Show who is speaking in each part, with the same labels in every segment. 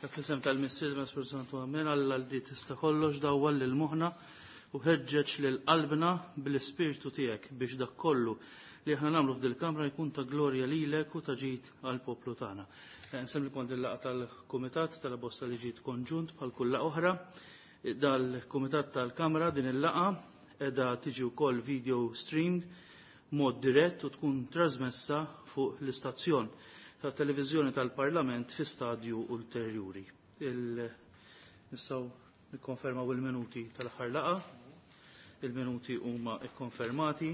Speaker 1: Fl-isem tal-Missier ma' Spiritu Santu Amen, Alla li tista' kollox dawwal lil moħħna u ħeġġeġ lil qalbna bl-Ispirtu tiegħek biex dak kollu li aħna nagħmlu f'dil-kamra jkun ta' glorja lilek u ta' ġid għall-poplu tagħna. Nsemmi kont il-laqgħa tal-Kumitat tal-Bosta Liġijiet Konġunt bħal kull laqgħa oħra. Dal-Kumitat tal-Kamra din il-laqgħa qiegħda tiġi wkoll video streamed mod dirett u tkun trasmessa fuq l-istazzjon ta' televiżjoni tal-Parlament fi stadju ulterjuri. Nistgħu nikkonfermaw il-minuti tal-aħħar laqgħa. Il-minuti huma kkonfermati.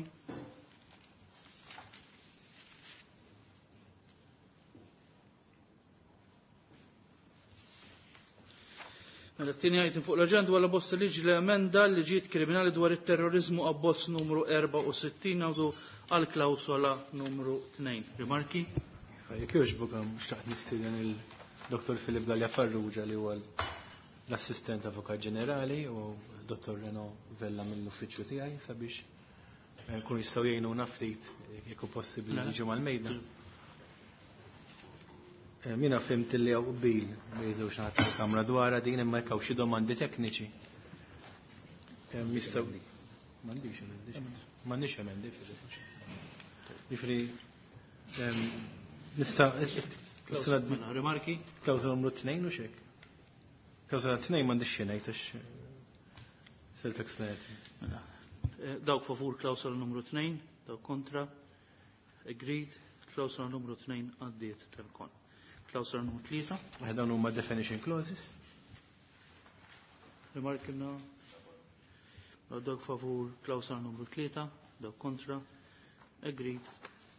Speaker 1: Mela t-tieni item fuq l-aġenda huwa l-abbozz ta' liġi li emenda l-liġijiet kriminali dwar it-terrorizmu abbozz numru 64 ngħidu għal klawsola numru 2. Rimarki?
Speaker 2: Jekk jogħġbok xtaqt nistieden il-Dr. Filip Galea Farrugia li huwa l-Assistent Avukat Ġenerali u Dr. Reno Vella mill-uffiċċju tiegħi sabiex kun jistgħu jgħinuna ftit jekk hu possibbli jiġu mal-mejda. Mina fhimt li hawn qbil bejn żewġ naħat tal-Kamra dwarha din imma jekk hawn xi domandi tekniċi. Jistgħu m'għandix emendi. M'għandix emendi. Ġifieri nista'
Speaker 1: Rimarki?
Speaker 2: Klawsola numru 2 u xek. Klawsola 2 m'għandix xi ngħid għax self-explanatory.
Speaker 1: Mela, Dawk favur klawsola numru 2, dawk kontra, agreed, klawsola numru 2 għaddiet telkon. Klawsola numru 3.
Speaker 2: Dawn huma definition clauses.
Speaker 1: Rimarki na dawk favur klawsola numru 3, dawk kontra, agreed,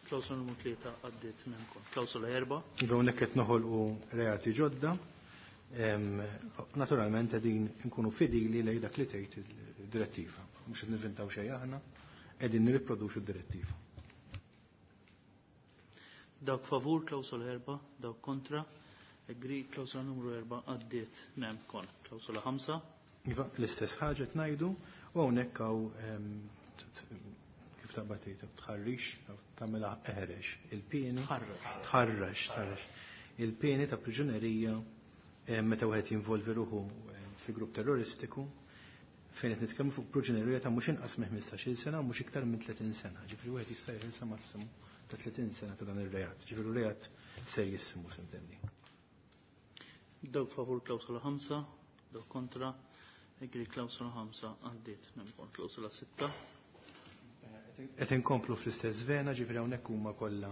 Speaker 1: klawsola numru 3 għaddiet nemkon. Klawsola 4.
Speaker 2: Iva hawnhekk qed noħolqu reati ġodda. Naturalment qegħdin nkunu fidili lejn dak li tgħid id-direttiva. Mhux qed nivvintaw xejn aħna, qegħdin nirriproduċu d-direttiva.
Speaker 1: Dawk favur klawsola 4, dawk kontra, agreed, klawsola numru 4 għaddiet nemkon. Klawsola 5.
Speaker 2: Iva, l-istess ħaġa qed ngħidu u hawnhekk hawn kif taqbad tgħid tħarrix, tagħmilha eħrex il-pieni.
Speaker 1: Tħarrax.
Speaker 2: Tħarrax, tħarrax. Il-pieni ta' priġunerija meta wieħed jinvolvi ruħu fi grupp terroristiku fejn qed nitkellmu fuq priġunerija ta' mhux inqas minn 15-il sena u mhux iktar minn 30 sena. Ġifieri wieħed jista' jeħilsa massimu ta' 30 sena ta' dan ir-reat. Ġifieri reat serjissimu s'intendi.
Speaker 1: Dawk favur klawsola 5, dawk kontra, agreed klawsola 5 għaddiet nemkon. Klawsola 6.
Speaker 2: Qed inkomplu fl-istess vena, ġifieri hawnhekk huma kollha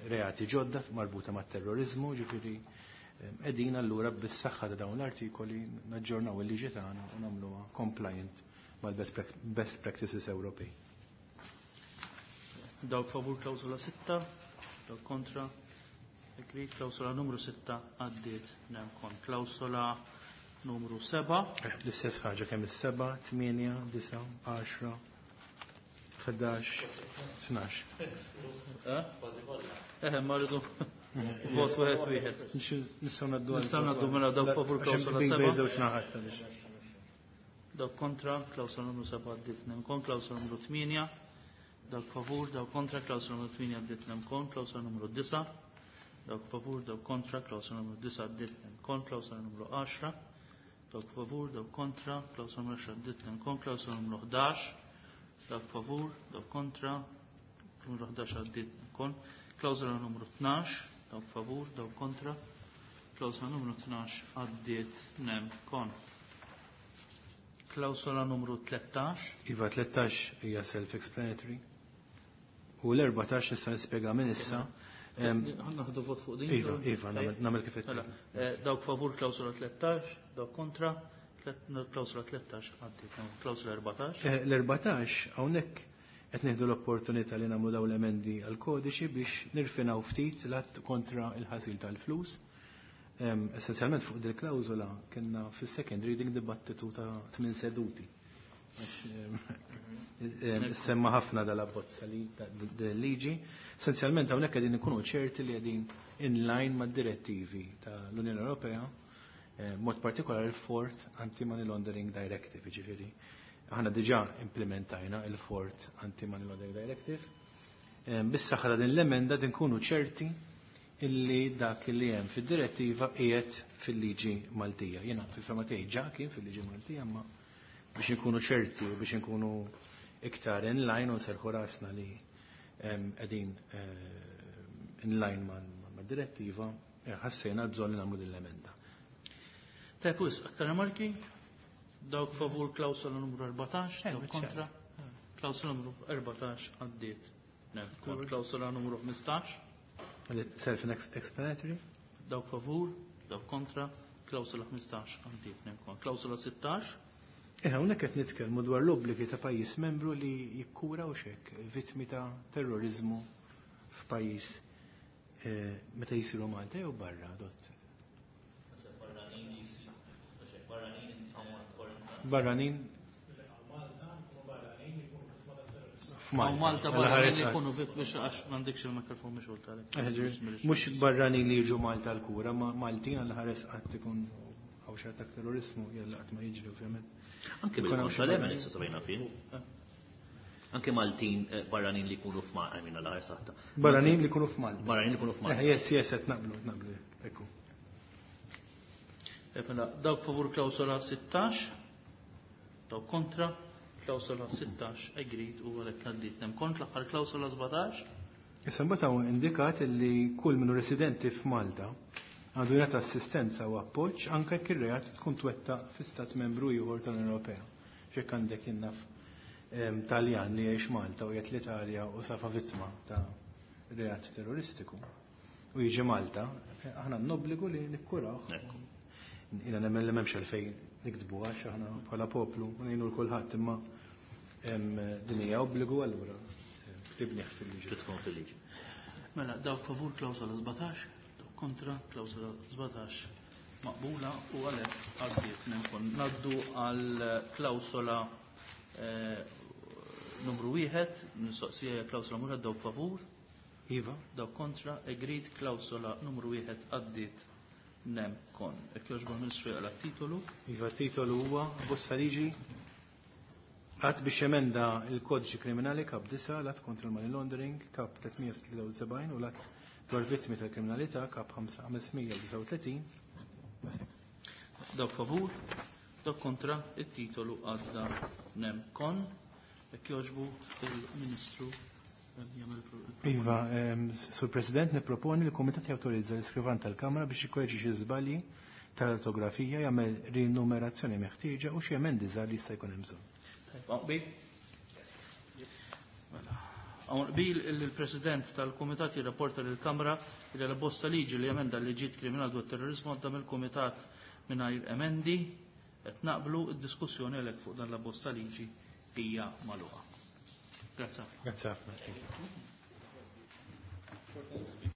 Speaker 2: reati ġodda marbuta mat-terrorizmu, ġifieri qegħdin allura bis-saħħa ta' dawn l-artikoli naġġornaw il-liġi tagħna u nagħmluha compliant mal-best practices Ewropej.
Speaker 1: Dawk favur klawsola 6, dawk kontra, agreed, klawsola numru 6 għaddiet nemkon. Klawsola numru 7.
Speaker 2: L-istess ħaġa kemm is-7, 8, 9, 10, 11, 12.
Speaker 1: Ma rridu vot wieħed wieħed.
Speaker 2: Nistgħu ngħaddu għal
Speaker 1: Nistgħu ngħaddu mela dawk favur
Speaker 2: Għax
Speaker 1: klawsola
Speaker 2: hemm
Speaker 1: 7.
Speaker 2: żewġ naħat għaliex.
Speaker 1: Dawk kontra, klawsola numru 7 għaddiet nemkon, klawsola numru 8, dawk favur, dawk kontra, klawsola numru 8 għaddiet nemkon, klawsola numru 9, dawk favur, dawk kontra, klawsola numru 9 għaddiet nemkon, klawsola numru 10, dawk favur, dawk kontra, klawsola numru 10 għaddiet nemkon, klawsola numru 11, dawk favur, dawk kontra, numru 11 għaddiet nemkon, klawsola numru 12, dawk favur, dawk kontra, klawsola numru 12 għaddiet nemkon. Klawsola numru 13.
Speaker 2: Iva, 13 hija self-explanatory. U l-14 nista' nispjega minn issa.
Speaker 1: Ħanna ħadu vot fuq din?
Speaker 2: Iva, iva, nagħmel kif qed.
Speaker 1: Mela, dawk favur klawsola 13, dawk kontra, klawsola 13 għaddiet, klawsola 14.
Speaker 2: L-14 hawnhekk qed nieħdu l-opportunità li nagħmlu dawn l-emendi għall-kodiċi biex nirfinaw ftit l-att kontra il-ħasil tal-flus. Essenzjalment fuq dil klawżola kellna fis-second reading dibattitu ta' 8 seduti. Semma ħafna dal-abbozza li liġi. Essenzjalment hawnhekk qegħdin ikunu ċerti li qegħdin in line mad-direttivi tal-Unjoni Ewropea, mod partikolari il-Fourth Anti-Money Laundering Directive, jiġifieri. Aħna diġà implementajna il-Fourth Anti-Money Laundering Directive. Bis-saħħa ta' din l-emenda din nkunu ċerti illi dak li hemm fid-direttiva qiegħed fil-liġi Maltija. Jiena fil-fema tiegħi ġa kien fil-liġi Maltija, imma biex inkunu ċerti u biex inkunu iktar in line u nserħu rasna li qegħdin in line ma' direttiva, ħassejna l-bżonn li nagħmlu din l-emenda.
Speaker 1: Tajb, wisq, aktar remarki? Dawk favur klawsola numru 14, dawk kontra? Klawsola numru 14 għaddiet. Klawsola numru 15.
Speaker 2: Self-explanatory.
Speaker 1: Dawk favur, dawk kontra, klawsola 15 għaddiet. Klawsola 16.
Speaker 2: Hawnhekk qed nitkellmu dwar l-obbligi ta' pajjiż membru li jikkura u xek vittmi ta' terrorizmu f'pajjiż meta jisiru Malta jew barra, dott. Barranin
Speaker 1: F'Malta barranin li jkunu vittmi, għax m'għandekx il-mikrofon mixgħul tal.
Speaker 2: Mhux barranin li jiġu Malta l-kura, ma Maltin għal ħares qatt ikun hawn xi attakk terrorizmu, jalla qatt ma jiġri ovvjament.
Speaker 3: Anke bil-kontra l-Yemen issa sabajna fih. Anke Maltin barranin li jkunu f'Malta, I mean, għal saħta.
Speaker 2: Barranin li jkunu f'Malta.
Speaker 3: Barranin li jkunu f'Malta.
Speaker 2: Yes, qed naqblu, naqblu, ekku.
Speaker 1: Mela, dawk favur klawsola 16, dawk kontra, klawsola 16 agreed u għalhekk għaddiet. Nem kont l-aħħar klawsola 17.
Speaker 2: Issa mbagħad hawn indikat li kull minnu residenti f'Malta għandu jingħata assistenza u appoġġ anke jekk ir-reat tkun twettaq fi stat membru ieħor tal-Unjoni Ewropea. X'hekk għandek jinnaf Taljan li jgħix Malta u jgħid l-Italja u safa vittma ta' reat terroristiku u jiġi Malta, aħna n-obbligu li nikkurawh. Jiena nemmen li m'hemmx għalfejn niktbu għax aħna bħala poplu u ngħinu l kulħadd, imma din hija obbligu allura ktibnieh fil-liġi.
Speaker 3: Tkun fil-liġi.
Speaker 1: Mela, dawk favur klawsola 17, dawk kontra, klawsola 17 maqbula u għalhekk għaddiet. Nkun naddu għal klawsola numru 1, mistoqsija klawsola numru 1, dawk favur.
Speaker 2: Iva.
Speaker 1: Dawk kontra, agreed, klawsola numru 1 għaddiet nem kon. Jekk jogħġbu Ministru jaqra titolu.
Speaker 2: Iva, titolu huwa bosta liġi att biex emenda il-kodiċi kriminali kap 9, l-att kontra l-money laundering kap 373 u l-att dwar vittmi tal-kriminalità kap 539.
Speaker 1: Dawk favur, dawk kontra, it-titolu għadda nem kon. Jekk jogħġbu il-Ministru jagħmel
Speaker 2: Iva, Sur President, niproponi li l-Kumitat jawtorizza l-iskrivan tal-Kamra biex jikkoreġi xi żbalji tal-ortografija, jagħmel rinumerazzjoni meħtieġa u xi emendi żgħar li jista' jkun hemm bżonn.
Speaker 1: Tajb, hawn qbil? Mela, hawn qbil illi l-President tal-Kumitat jirrapporta lill-Kamra li l-bosta liġi li emenda l-liġijiet kriminali dwar terrorizmu għadda mill-Kumitat mingħajr emendi. Qed naqblu, id-diskussjoni għalhekk fuq dan l-bosta liġi hija magħluqa. Grazie.
Speaker 2: Grazie ħafna. Thank you.